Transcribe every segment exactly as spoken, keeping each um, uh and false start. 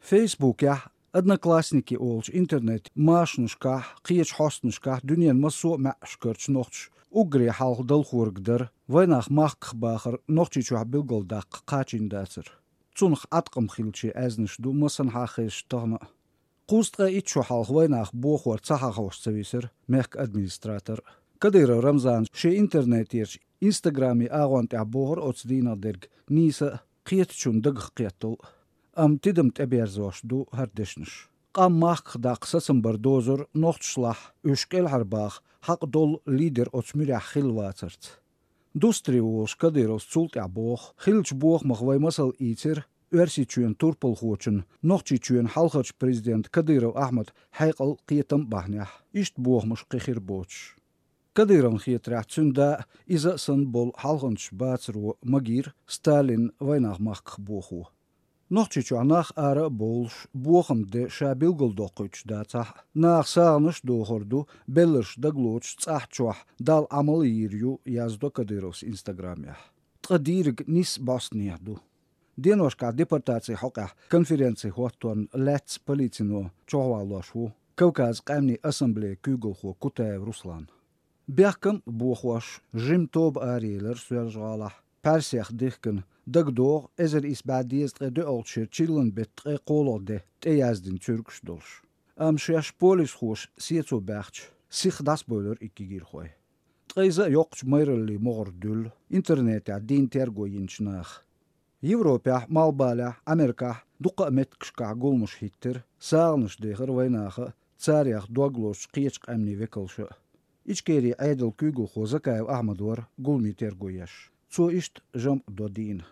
Фейсбукехь, Одноклассники олучу интернет-машанашкахь, кхечу хьостанашкахь дуьненан массо а маьӀӀашкарчу нохчаша уггаре хьалха далхорг дара вайнах махках бахар Нохчийчохь билгалдаккха кхачийна дацар. Цунах Ӏаткъам хиллачийн аьзнаш ду массанхьа а хезаш тахана а. Кхузткъе итт шо хьалха вайнах бохор ца хьахош ца висира мехкан администратор. Кадыров Рамзана шен интернетерчу Инстаграман агӀон тӀехь бохура оцу дийнах дерг нийса а, кхетачунна дагах кхеттал а. Амма тидам тӀеберзош ду хӀара дешнаш. Къам махках даккха сацам бар дозура нохчашлахь уьш кӀелхьарбаха хьакъ долу лидер оцу муьрехь хилла вацарца. Дустаре волуш Кадыровс цул тӀаьхьа боху, хиллачу бохамах вай масал ийцира Оьрсийчоьнан турпалхочун, Нохчийчоьнан хьалхарчу президентан Кадыров Ахьмадан хьекъал, кхетам бахьанехь. Иштта бохамаш кхин хир боцуш. Кадыровна хетарехь, цуьнан да а, иза а санна болу хьалханчаш бацаро магийра Сталинна вайнах махках бохо. Нохчийчохь нах ара а бовлуш, бохаман де ша билгалдоккхуьйтуш дацахь а, наха сагӀанаш а дохур ду, белларш дагалоцуш цӀахь чохь Далла Ӏамал а йийр ю, яздо Кадыровс Инстаграмехь. Ткъа дийриг нисса бӀостанехьа ду. Деношкахь депортацин хьокъехь конференци хӀотторна лаьцна полицино чохь валлош ву Кавказан къаьмнийн ассамблеян куьйгалхо Кутаев Руслан. Бехкам а бохош, жима тоба араелира Соьлжа-ГӀалахь, пхьарсех дихкина, дагадогӀу, эзар исс бӀе дезткъе доьалгӀачу шеран чиллан беттан ткъе кхоалгӀа де тӀеяздина цуьргаш долуш. Амма шаьш полисхоша сецо баьхча, сиха дӀасабевлира и кегийрхой. Ткъа иза а йоккхачу майраллин могӀара дуьллу интернетехь дийна терго йинчу наха. Европехь, Малхбалехь, Америкехь дуккха а меттигашкахь гуламаш хӀиттира, сагӀанаш дехира вайнаха а, царех дог лозучу кхечу къаьмнийн векалша а. Ичкерин Ӏедалан куьйгалхо Закаев Ахьмад вара гуламийн терго еш. Цо иштта жамӀ до дийнан.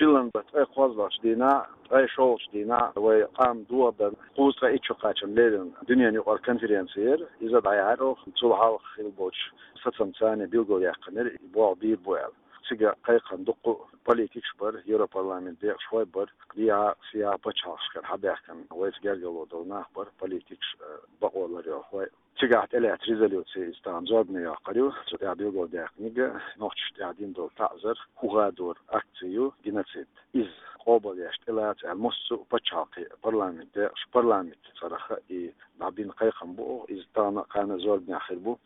Чиллан беттан ткъе кхоалгӀачу дийнахь, ткъе шолгӀачу дийнахь вай къам дохадарна кхузткъе итт шо кхачарна леррина дуьненан юкъара конференци яра. Иза дӀаяьхьира оха, цул хьалха хилла болчу сацамца билгалъяьккхинера, и болх бийр бу аьлла. Цига кхайкхина дуккха а политикаш бара, Европарламентан декъашхой бара, дехьа-сехьа пачхьалкхашкара хьабаьхкина вайца гергарло долу нах бара, политикаш, э, бакъо ларъярхой. Цигахь тӀелаьцна резолюци иза тахана зорбане йоккхур ю, цу тӀехь билгалдаьккхинарг нохчашна тӀехь дина долу таӀзар, хӀун хадор акци ю, геноцид. Иза къобалъеш тӀелаца аьлла, массо а пачхьалкхийн парламентан декъашхой, парламентан цӀарах и дӀабина кхайкхам бу оха, иза тахана а, кхана а зорбанехь хир бу.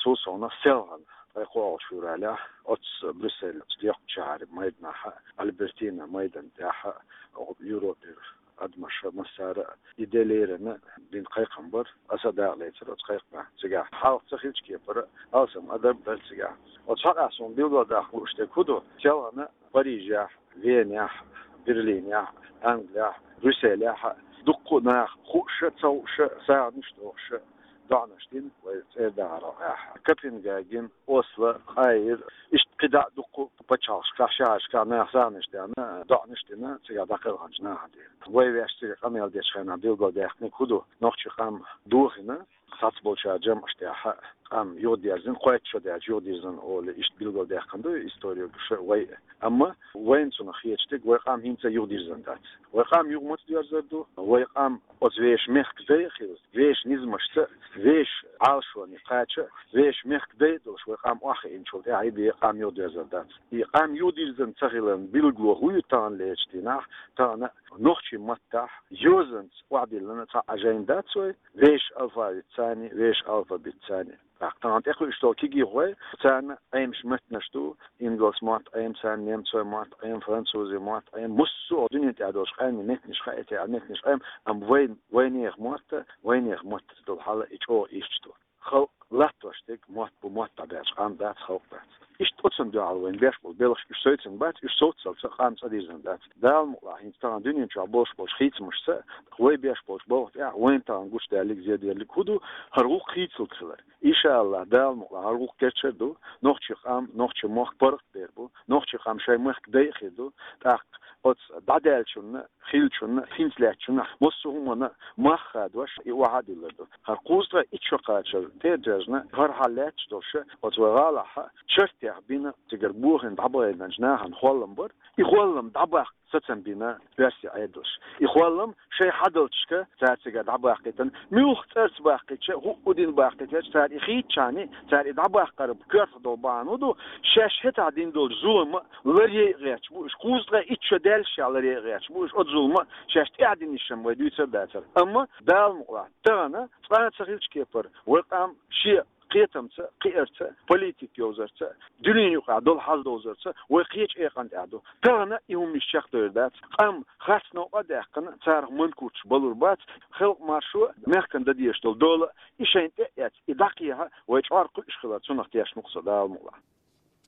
Цул совнаха селхана, ткъе кхоалгӀачу февралехь, оццу Брюссель, оцу доккхачу шахьаран майданахь, Альбертина майдан тӀехь, оха Европера адамаша массара а и де леррина дина кхайкхам бара, аса а дакъалецира оцу кхайкхамехь. Цигахь хьалха ца хиллачу кепара алсам адам дара цигахь. Оцу хьокъехь суна билгалдаккха лууш дерг хӀун ду? Селхана Парижехь, Венехь, Берлинехь, Англехь, Брюсселехь дуккха а наха хууш а, ца хууш а, сагӀанаш а дохуш а, доӀанаш дина вай цӀера дахарал тӀехь. Копенгаген, Осло, Каир, иштта кхидӀа а дуккха а пачхьалкхашкахь, шахьаршкахь наха сагӀанаш даьхна, доӀанаш дина цигахь дӀакхелхинчу нахана тӀера. Вай ваьш цига къамел дечу хенахь билгалдаьккхинарг хӀун ду? Нохчийн къам дохийна, цхьацболчара жамӀаш тӀехь къам юхадерзийна, кхойтта шо даьлча юхадирзина олий, иштта билгалдаьккхина ду историкаша вай. Амма вайна цунах хеташ дерг, вай къам хӀинца а юхадирзина дац. Вай къам юха маца доьрзур ду? Вай къам оцу вешан мехкан дай а хилла, вешан низамашца, вешан Ӏалашоне кхача, вешан мехкан дай а долуш, вай къам охьахиъначул тӀаьхьа и бен къам юхадоьрзур дац. И къам юхадирзина ца хиларан билгало хӀун ю таханлерчу дийнахь? Тахана нохчийн маттахь йозанца охьадиллина цхьа а жайна дац вай, вешан алфавитца а, вешан алфавитца а. ТӀаккха тахана тӀекхуьуш долу кегийрхой, царна Ӏемаш меттанаш ду, ингалс мотт Ӏема царна, немцойн мотт Ӏема, французийн мотт Ӏема, массо а дуьнен тӀехь долчу къаьмнийн меттанаш хаийта аьлла меттанаш Ӏема, амма вайн, вайнехан мотт, вайнехан маттаца долу хьал и чӀогӀа ирча ду. Халкъ латтош дерг мотт бу, мотт дӀабаьлча къам дац, халкъ дац. Иштта оцунна дуьхьал вайна беш болу белхаш уьш совцийна бац, уьш совццалц а къам цӀа дирзина дац. Дала мукъалахь, хӀинца тахана дуьнен чохь болуш болчу хийцамашца, вай беш болчу балха тӀехь вайна тахана гучудаллиг, зеделлиг хӀун ду? ХӀара гӀуллакх хийцалург хилар. Иншааллахь, Дала мукъалахь, хӀара гӀуллакх керчар ду, нохчийн къам, нохчийн мохк паргӀатбер бу, нохчийн къам шайн мехкан дай а хир ду, тӀаккха оцу дӀадаьллачунна, хиллачунна, хӀинца лаьттачунна, массо а хӀуманна мах хадош, и охьа а диллар ду. ХӀара кхузткъе итт шо кхачар тӀе а доьжна, хӀара хьал лаьтташ долуш, оцу вай гӀалахь чартех бина, цигара бохийна дӀабахийтинчу нахана холлам бара. И холлам дӀабаккха сацам бина оьрсийн Ӏедалш. И хӀоллам шайн хьадалчашка цара цига дӀабаккхийтина. Муьлха цӀарца баккхийча, хӀуъу дина баккхийтача, цара и хийцачарна, цара и дӀабаккхар коьртах долу бахьана ду, шаьш хӀетахь дина долчу зулама ларъяй а гӀерташ бу уьш, кхузткъе итт шо даьллашехь ларъяй а гӀерташ бу уьш оцу зулама, шаьш тӀаьхьа динарш-м вай дуьйцур а дацара. Амма Дала мукъалахь, тахана цкъа а ца хиллачу кепара вай къам шен кхетамца, кхиарца, политика йовзарца, дуьненан юкъахь долу хьал довзарца вай кхечу экъан тӀехь ду. Тахана и хӀуманаш чекхдовр дац. Къам харц новкъа а даьккхина, царах манкурташ балур бац. Халкъан маршо, мехкан дан дезаш долу дола, и шайна тӀе а эцна, и дӀакхехьа вай чкъор кхуьуш хилар, цунах тешна ву-кх со, Дала мукъалахь.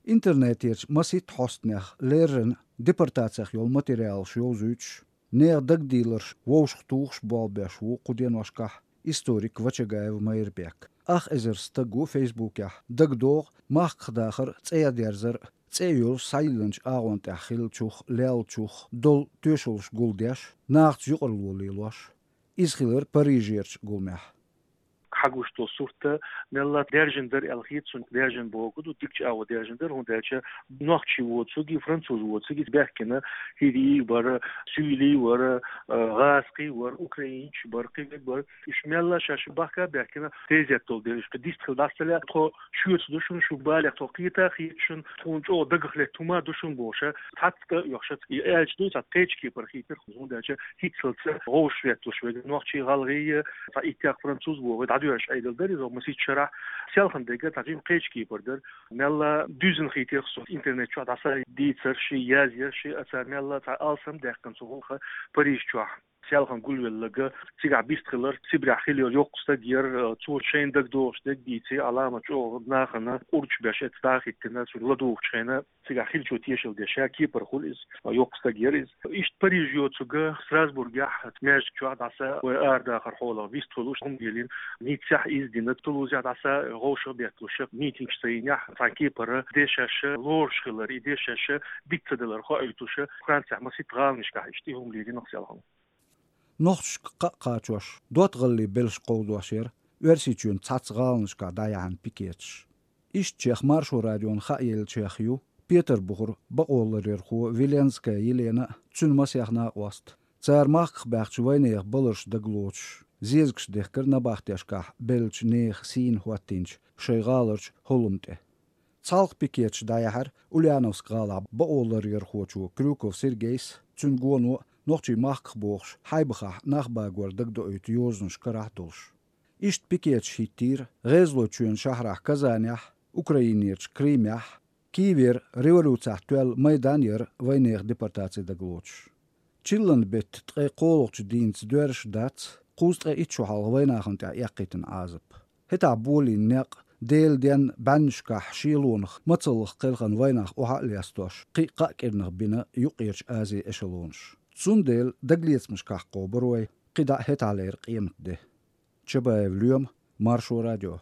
Интернетерчу масийтта хьостанех леррина депортацех йолу материалаш йовзуьйтуш, нехан дагадийларш вовшахтухуш болх беш ву кху деношкахь историк Вачагаев Майрбек. Ах эзар стаг ву Фейсбукехь дагадогӀу махках дахар а, цӀа дерзар а, цӀе а йолуш схьайиллинчу агӀон тӀехь хиллачух, леллачух долу тоьшаллаш гулдеш, нахаца юкъарло лелош. Иза хилира Парижерчу гуламехь. Хьагуш долу сурт мелла даьржина дара аьлла хета суна, даьржина бохург ду, дикачу агӀор даьржина дара, хӀунда аьлча нохчий воцург, француз воцург баьхкина, хӀирий бара, суьйлий вара, гӀазкхий вара, украинцаш бара, кхин верг бара. Уьш мелла шаьш бахка а баьхкина, тезет долу дела, уьш кхин дистхила дӀасалаьа, тхо шуьца ду шуна, шу балех тхо кхета а хета шуна, тхуна чӀогӀа дагах летта хӀума ду шуна бохуш, цхьацца тӀе а оьхуш, и аьлча дуй, цхьа кхечу кепара хийтира, хӀунда аьлча хӀинццалц вовшахветталуш верг нохчий, гӀалгӀай, цхьа иттех француз бохург дӀадоьрзуш Ӏедал дара иза, масийтта шарахь селхана дерг цхьа жима кхечу кепара дара. Мелла дуьззина хийтира со интернет чохь дӀаса дийцарш, язъярш, а цара мелла цхьа алсам даьккхина цу гӀуллакха Париж чохь. Селхана гулвелларг цигахь бистхилар, Сибрехь хиллера йоккха стаг яра, цо шайна дагадогӀуш дерг дийци, Ӏаламат чӀогӀа нахана къурдаш беш эцна дӀа а хӀиттина, цуьнан ладугӀучу хенахь цигахь хиллачо тешалла деш, ша кепара хуьлу иза, йоккха стаг яра иза. Иштта Париж йоцург Страсбургехь маьждиг чохь дӀаса вай арадахар хьолах вистхуьлуш, хӀума лелийна, Ниццехь иза дина, Тулузехь дӀаса вовшахбетталуш митингаш ца йинехь, цхьана кепара дешаш лоруш хилар, и дешаш дика ца далар хоуьйтуш, Францехь масийтта гӀаланашкахь иштта и хӀума лелийна-кх селхана. Нохчашка кхаъ кхачош, доттагӀаллин белш кховдош яра Оьрсийчоьнан цхьацца гӀаланашкахь дӀаяьхьна пикеташ. Иштачех Маршо радиона хааеллачех ю Петарбухара бакъоларъярхо Виленская Елена а, цуьнан масех накъост а. Цара махках баьхначу вайнехан баларш дагалоцуш, зезагаш дехкира набахтешкахь беллачу нехан сийна хӀоттийначу шайн гӀаларчу хӀоллам тӀе. Цхьалха пикеташ дӀаяьхьира Ульяновск-гӀалахь бакъоларъярхочо Крюков Сергейс а, цуьнан гоно а, нохчий махках бохуш, Хьайбахахь нах багор дагадоуьйту йозанаш карахь а долуш. Иштта пикеташ хӀиттийра ГӀезалойчоьнан шахьарахь Казанехь а, Украинерчу Крымехь а. Киевера революцехь тоьлла майдан яра вайнехан депортаци дагалоцуш. Чиллан беттан ткъе кхоалгӀачу дийнца доьрзуш дац кхузткъе итт шо хьалха вайнахана тӀехь эккхийтина Ӏазап. ХӀетахь болийна некъ, Делан денна бӀаьннашкахь шелонах мацаллах кхелхина вайнах охьа а лестош, кхин а кхаа кӀирнах бина Юккъерчу Азин эшелонаш. Цундела дагалецамашкахь кхобура вай кхидӀа а хӀетахьлера къематде. Чабаев Лоьма, Маршо радио.